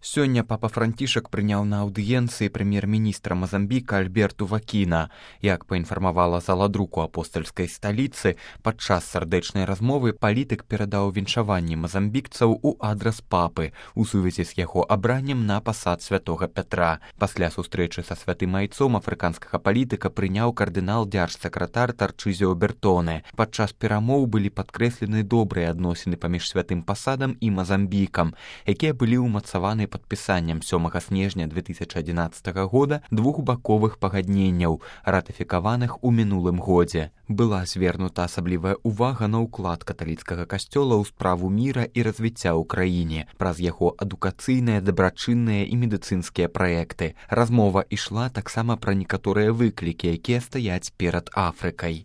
Сёння папа Францішак прыняў на аўдыенцыі прэм'ер-міністра Мазамбіка Альберту Вакіна. Як паінфармавала зала друку апостальскай сталіцы, падчас сардэчнай размовы палітык перадаў віншаванні мазамбікцаў у адрас папы у сувязі з яго абраннем на пасад святога Пятра. Пасля сустрэчы са святым айцом афрыканскага палітыка прыняў кардынал дзяржсакратар Тарчызіо Бертоне. Падчас перамоў былі падкрэслены добрыя адносіны паміж святым пасадам і Мазамбікам, якія былі ўмацаваны падпісаннем 7 снежня 2011 года двухбаковых пагадненняў, ратыфікаваных у мінулым годзе. Была звернута асаблівая ўвага на ўклад каталіцкага касцёла ў справу міра і развіцця ў краіне праз яго адукацыйныя, дабрачынныя і медыцынскія праекты. Размова ішла таксама пра некаторыя выклікі, якія стаяць перад Афрыкай.